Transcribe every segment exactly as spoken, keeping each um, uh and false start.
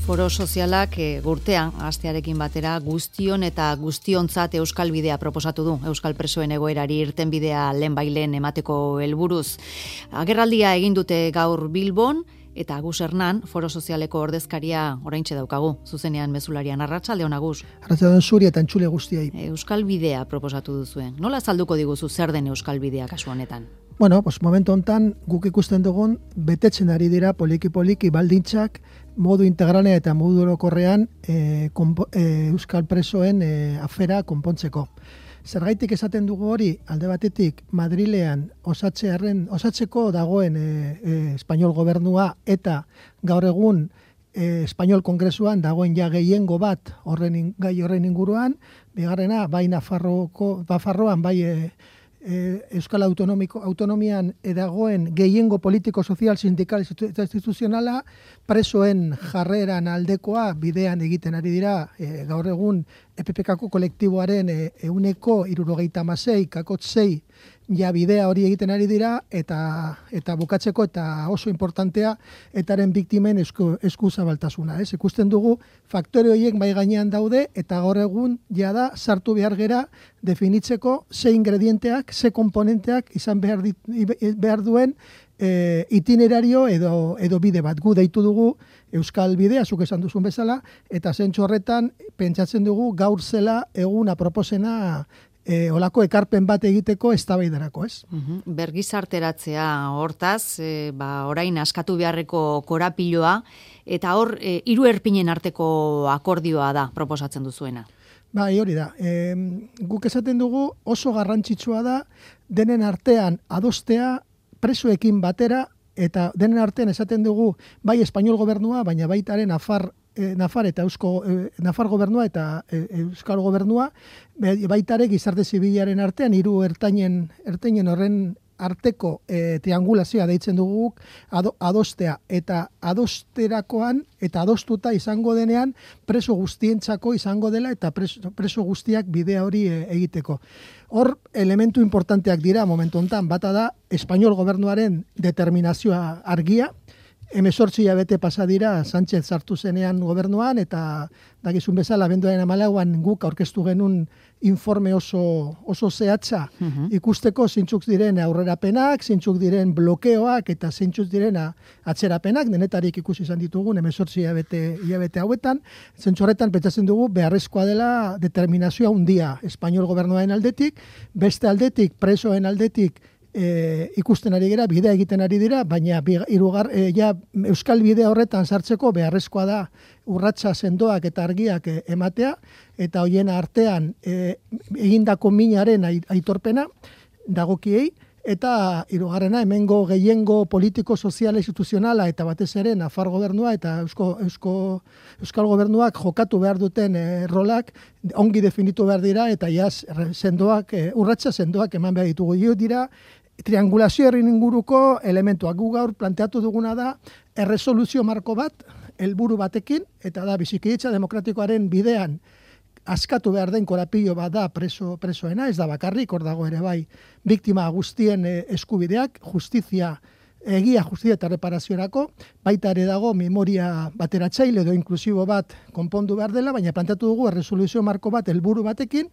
Foro sozialak e, urtean hastearekin batera guztion eta guztiontzat Euskal Bidea proposatu du. Euskal presoen egoerari irtenbidea lehenbailen emateko helburuz. Agerraldia egin dute gaur Bilbon eta Agus Hernan, Foro Sozialeko ordezkaria oraintxe daukagu. Zuzenean mezularian arratsaldeon Agus. Arratsaldeon zuri eta entzule guztiei. Euskal Bidea proposatu duzuen. Nola azalduko diguzu zer den Euskal Bidea kasu honetan? Bueno, pues momentu hontan guk ikusten dugun betetzen ari dira poliki-poliki baldintzak modu integralean eta modu orokorrean e, e, Euskal presoen e, afera konpontzeko. Zergaitik esaten dugu hori, alde batetik Madrilean osatzearen osatzeko dagoen e, e, Espainol gobernua eta gaur egun e, Espainol Kongresuan dagoen ja gehiengo bat horren gai horren inguruan, bigarrena bai Nafarroko Nafarroan bai e, Euskal Autonomiko, Autonomian edagoen gehiengo politiko, sozial, sindikal eta instituzionala presoen jarreran aldekoa bidean egiten ari dira e, gaur egun E P P K-ko kolektiboaren e, euneko hirurogeita hamasei kakotz sei ja bidea hori egiten ari dira eta eta bukatzeko eta oso importantea etaren biktimen esku, esku zabaltasuna. Ez? Ikusten dugu faktore horiek bai gainean daude eta gaur egun jada sartu behar gera definitzeko ze ingredienteak, ze komponenteak izan behar, dit, behar duen e, itinerario edo, edo bide bat. Gu deitu dugu Euskal Bidea, zuk esan duzun bezala, eta zentzu horretan pentsatzen dugu gaur zela egun aproposena E, olako ekarpen bat egiteko eztabaidarako, ez? Uhum. Bergizarteratzea hortaz, e, ba, orain askatu beharreko korapiloa, eta hor e, hiru erpinen arteko akordioa da proposatzen duzuena. Bai, hori da. E, guk esaten dugu oso garrantzitsua da denen artean adostea presoekin batera, eta denen artean esaten dugu bai Espainol gobernua, baina baitaren Nafar E, Nafar eta Eusko e, Nafar gobernua eta e, Euskal gobernua baitare gizarte zibilaren artean hiru ertainen ertainen horren arteko e, triangulazioa deitzen dugu ado, adostea eta adosterakoan eta adostuta izango denean preso guztientzako izango dela eta preso, preso guztiak bidea hori e, egiteko. Hor elementu importanteak dira momentu hontan, bata da Espainol gobernuaren determinazioa argia. Hemezortzi hilabete pasa dira Sánchez sartu zenean gobernuan eta dakizun bezala abenduaren hamalauan guk aurkeztu genuen informe oso oso zehatza uh-huh. ikusteko zeintzuk diren aurrerapenak, zeintzuk diren blokeoak eta zeintzuk diren atzerapenak, denetarik ikusi izan ditugun hemezortzi hilabete hilabete hauetan. Zentzu horretan pentsatzen dugu beharrezkoa dela determinazioa handia Espainol gobernuaren aldetik, beste aldetik presoen aldetik E, ikusten ari gara, bidea egiten ari dira, baina irugar, e, ja, Euskal Bidea horretan sartzeko beharrezkoa da urratsa sendoak eta argiak e, ematea, eta hoien artean e, egindako minaren aitorpena dagokiei, eta hirugarrena hemengo gehiengo politiko, sozial, instituzionala eta batez ere Nafar gobernua eta Eusko, Eusko, Euskal gobernuak jokatu behar duten e, rolak ongi definitu behar dira eta jaz sendoak, e, urratsa sendoak eman behar ditugu. Jo dira triangulazioaren inguruko elementuak. Gu gaur planteatu duguna da erresoluzio marko bat, helburu batekin, eta da bizikidetza demokratikoaren bidean askatu behar den korapilo bat da preso, presoena, ez da bakarrik, hor dago ere bai, biktima guztien eskubideak, justizia, egia justizia eta reparaziorako, baita ere dago memoria bateratzaile edo inklusibo bat konpondu behar dela, baina planteatu dugu erresoluzio marko bat helburu batekin,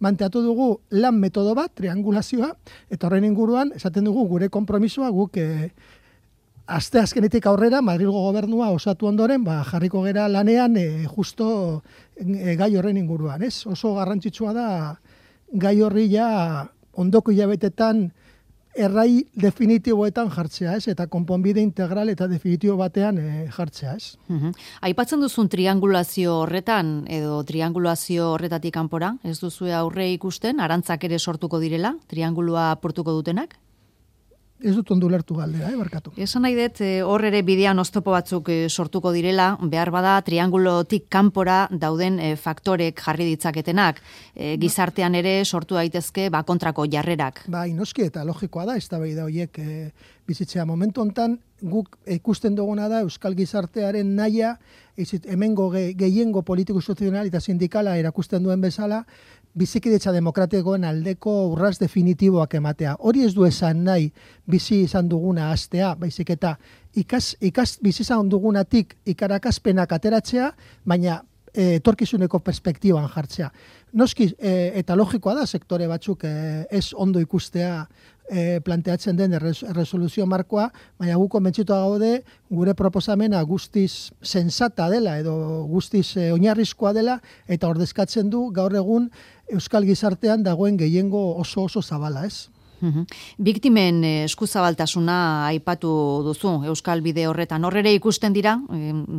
manteatu dugu lan metodo bat, triangulazioa, eta horren inguruan, esaten dugu gure konpromisoa guk e, aste azkenetik aurrera Madrilgo gobernua osatu ondoren, ba, jarriko gera lanean e, justo e, gai horren inguruan, ez? Oso garrantzitsua da gai horri ja ondoko hilabetetan errai definitiboetan jartzea, ez? Eta konponbide integral eta definitibo batean e, jartzea, ez? Uh-huh. Aipatzen duzun triangulazio horretan, edo triangulazio horretatik kanpora, ez duzu aurre ikusten, arantzak ere sortuko direla, triangulua apurtuko dutenak? Ez dut ondo ulertu galdera, eh, barkatu. Esan nahi dut, hor ere bidean oztopo batzuk sortuko direla, behar bada triangulotik kanpora dauden e, faktorek jarri ditzaketenak, e, gizartean ere sortu daitezke ba, kontrako jarrerak. Bai, noski eta logikoa da, eztabaida horiek e, bizitzea momentu hontan, guk ikusten duguna da Euskal gizartearen nahia, hemengo ge, gehiengo politiko instituzional eta sindikala erakusten duen bezala, bizikidetza demokratikoen aldeko urraz definitiboak ematea. Hori ez du esan nahi bizi izan duguna hastea, baizik eta ikas, ikas bizizan dugunatik ikarakaspenak ateratzea, baina e, etorkizuneko perspektiban jartzea. Noski, e, eta logikoa da, sektore batzuk e, ez ondo ikustea e, planteatzen den erresoluzio markoa, baina gu konbentzituta gaude gure proposamena guztiz sensata dela edo guztiz e, oinarrizkoa dela eta ordezkatzen du gaur egun euskal gizartean dagoen gehiengo oso oso zabala, ez? Biktimen eskuzabaltasuna aipatu duzu Euskal Bide horretan. Horrere ikusten dira,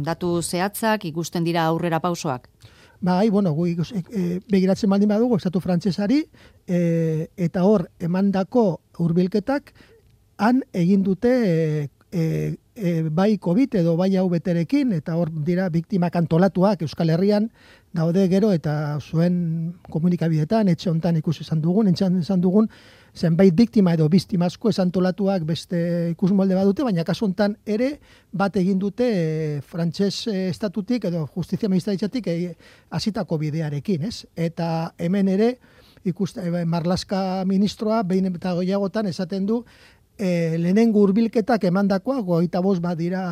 datu zehatzak, ikusten dira aurrera pausoak? Bai, bueno, gu ikus, e, begiratzen baldin badugu, estatu frantsesari, e, eta hor emandako hurbilketak han egin dute e, e, e, bai COVID edo bai hau beterekin, eta hor dira biktimak antolatuak Euskal Herrian daude gero, eta zuen komunikabidetan, etxe hontan ikusi izan dugun, etxean izan dugun, zenbait biktima edo biztimazko esantolatuak beste ikusmolde badute, baina kasu hontan ere bat egin dute e, frantses e, estatutik edo justizia ministeritzatik e, hasitako bidearekin, ez? Eta hemen ere ikuste e, Marlaska ministroa behin eta gehiagotan esaten du e, lehenengo hurbilketak emandakoa hogeita bost bat dira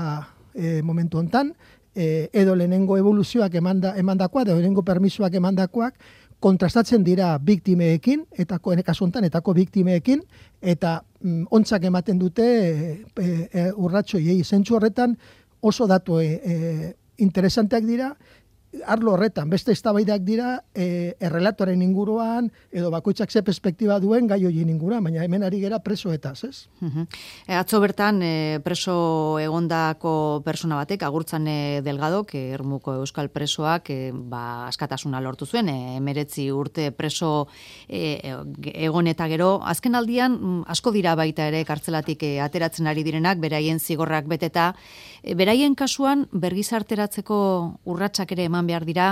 e, momentu hontan, e, edo lehenengo evoluzioak emanda, emandakoa, edo lehenengo permisoak emandakoak kontrastatzen dira biktimeekin, eta kasu honetan etako biktimeekin, eta mm, ontzak ematen dute e, e, urratxoiei. Zentzu horretan oso datu e, e, interesanteak dira, arlo horretan, beste eztabaidak dira e, errelatoren inguruan, edo bakoitzak ze perspektiba duen gai horien inguruan, baina hemen ari gera presoetaz, ez? Uh-huh. E, atzo bertan e, preso egondako persona batek, Agurtzan Delgadok, e, Ermuko euskal presoak, e, ba, askatasuna lortu zuen, e, emeretzi urte preso e, egon eta gero, azken aldian asko dira baita ere kartzelatik e, ateratzen ari direnak, beraien zigorrak beteta, e, beraien kasuan bergizarteratzeko urratsak ere eman behar dira,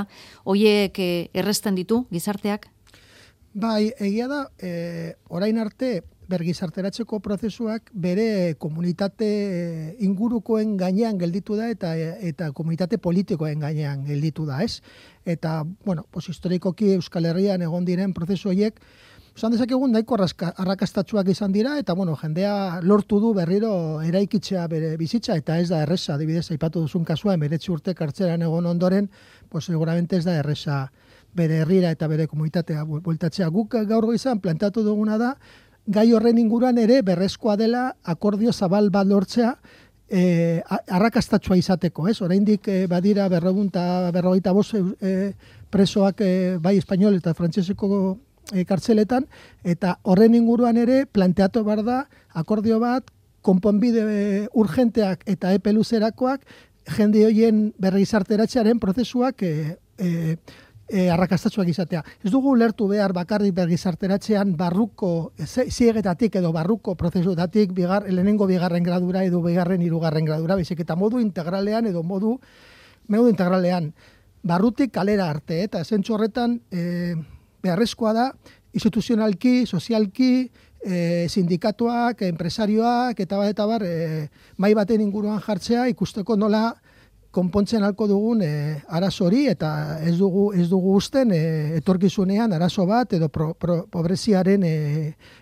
hoiek e, erresten ditu gizarteak? Bai, egia da, e, orain arte bergizarteratzeko prozesuak bere komunitate ingurukoen gainean gelditu da eta eta komunitate politikoen gainean gelditu da, ez? Eta, bueno, pues historikoki Euskal Herrian egon diren prozesu horiek esan dezakegun nahiko arrakastatsuak izan dira, eta bueno, jendea lortu du berriro eraikitzea bere bizitza, eta ez da erresa, adibidez, aipatu duzun kasua, emeretzi urte kartzelan egon ondoren, pues seguramente ez da erresa bere herrira eta bere komunitatea bueltatzea. Guk gaur goizan planteatu duguna da, gai horren inguruan ere berrezkoa dela akordio zabal bat lortzea, eh, arrakastatsua izateko, ez? Oraindik eh, badira berrogunta, berrogeita bost eh, presoak eh, bai espainol eta frantseseko E, kartzeletan, eta horren inguruan ere planteatu behar da akordio bat, konponbide e, urgenteak eta epe luzerakoak jende horien bergizarteratzearen prozesuak e, e, e, arrakastatsuak izatea. Ez dugu lertu behar bakarrik bergizarteratzean barruko, ziegetatik edo barruko prozesuetatik bigar, lehenengo bigarren gradura edo bigarren hirugarren gradura, baizik eta modu integralean edo modu, modu integralean barrutik kalera arte, eta zentzu horretan e, beharrezkoa da, instituzionalki, sozialki, e, sindikatuak, enpresarioak, eta bat eta bar, e, mai baten inguruan jartzea, ikusteko nola konpontzen halko dugun e, arazo hori, eta ez dugu, ez dugu usten e, etorkizunean arazo bat, edo pro, pro, pobreziaren e,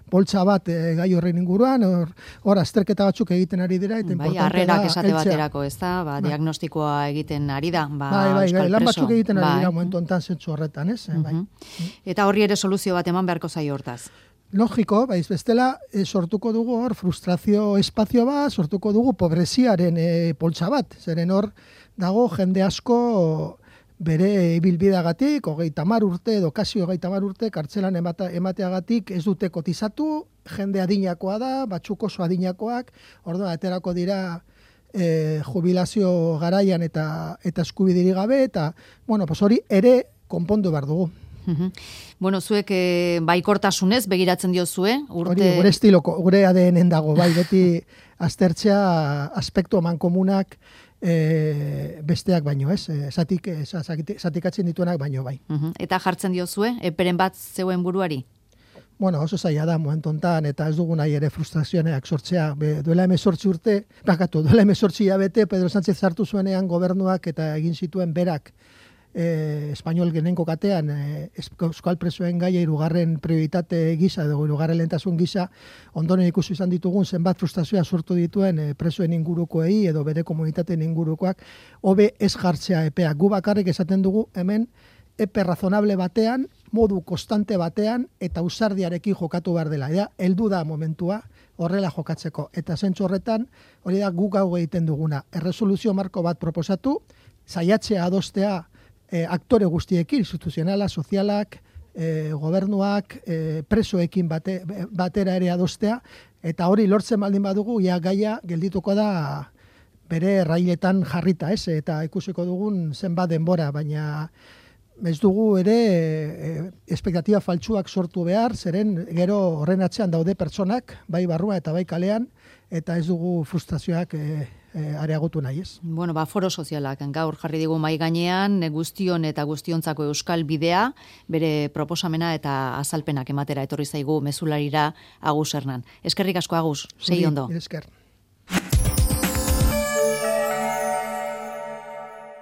boltsa bat e, gai horren inguruan, hor, hor azterketa batzuk egiten ari dira, eta bai, harrerak esate baterako, ez da, ba, diagnostikoa egiten ari da, ba, bai, bai, euskal lan preso. batzuk egiten ari bai. dira, momentu ontan zentzu horretan, ez? Uh-huh. Bai. Eta horri ere soluzio bat eman beharko zaio hortaz. Logiko, baiz bestela, e, sortuko dugu hor frustrazio espazio bat, sortuko dugu pobreziaren e, poltsa bat, zeren hor dago jende asko bere ibilbideagatik, hogeita hamar urte edo kasi hogeita hamar urte kartzelan emata, emateagatik ez dute kotizatu, jende adinakoa da, batzuk oso adinakoak, orduan aterako dira e, jubilazio garaian eta eta eskubidirik gabe, eta bueno, pues hori ere konpondu behar dugu. Bueno, zuek e, baikortasunez begiratzen diozue, urte... Hori, gure estiloko, gure A D N-en dago, bai, beti aztertzea aspektu mankomunak e, besteak baino, ez? Zatik, zatikatzen dituenak baino, bai. Uh-huh. Eta jartzen diozue, eperen bat zeuen buruari? Bueno, oso zaila da, momentu hontan, eta ez dugu nahi ere frustrazioneak sortzea. Be, duela hemezortzi urte, bakatu, duela hemezortzi hilabete, Pedro Sánchez hartu zuenean gobernuak eta egin zituen berak e, Espainol genenko katean e, euskal presoen gaia hirugarren prioritate gisa edo hirugarren lehentasun gisa ondoren ikusi izan ditugun zenbat frustrazioa sortu dituen e, presoen ingurukoei edo bere komunitateen ingurukoak hobe ez jartzea epea. Gu bakarrik esaten dugu hemen epe razonable batean, modu konstante batean eta ausardiarekin jokatu behar dela. Ja, heldu da momentua horrela jokatzeko. Eta zentzu horretan, hori da guk hau egiten duguna. Erresoluzio marko bat proposatu, saiatzea adostea e, aktore guztiekin, instituzionala, sozialak, e, gobernuak, e, presoekin bate, batera ere adostea, eta hori lortzen baldin badugu, ja gaia geldituko da bere railetan jarrita, ez? Eta ikusiko dugun zenbat denbora, baina ez dugu ere e, espektatiba faltsuak sortu behar, zeren gero horren atzean daude pertsonak, bai barrua eta bai kalean, eta ez dugu frustrazioak e, e, areagotu nahi ez. Bueno, ba, foro sozialak gaur jarri digu mai gainean, guztion eta guztiontzako euskal bidea, bere proposamena eta azalpenak ematera etorri zaigu mezularira Agus Hernan. Eskerrik asko Agus, sei ondo. Esker.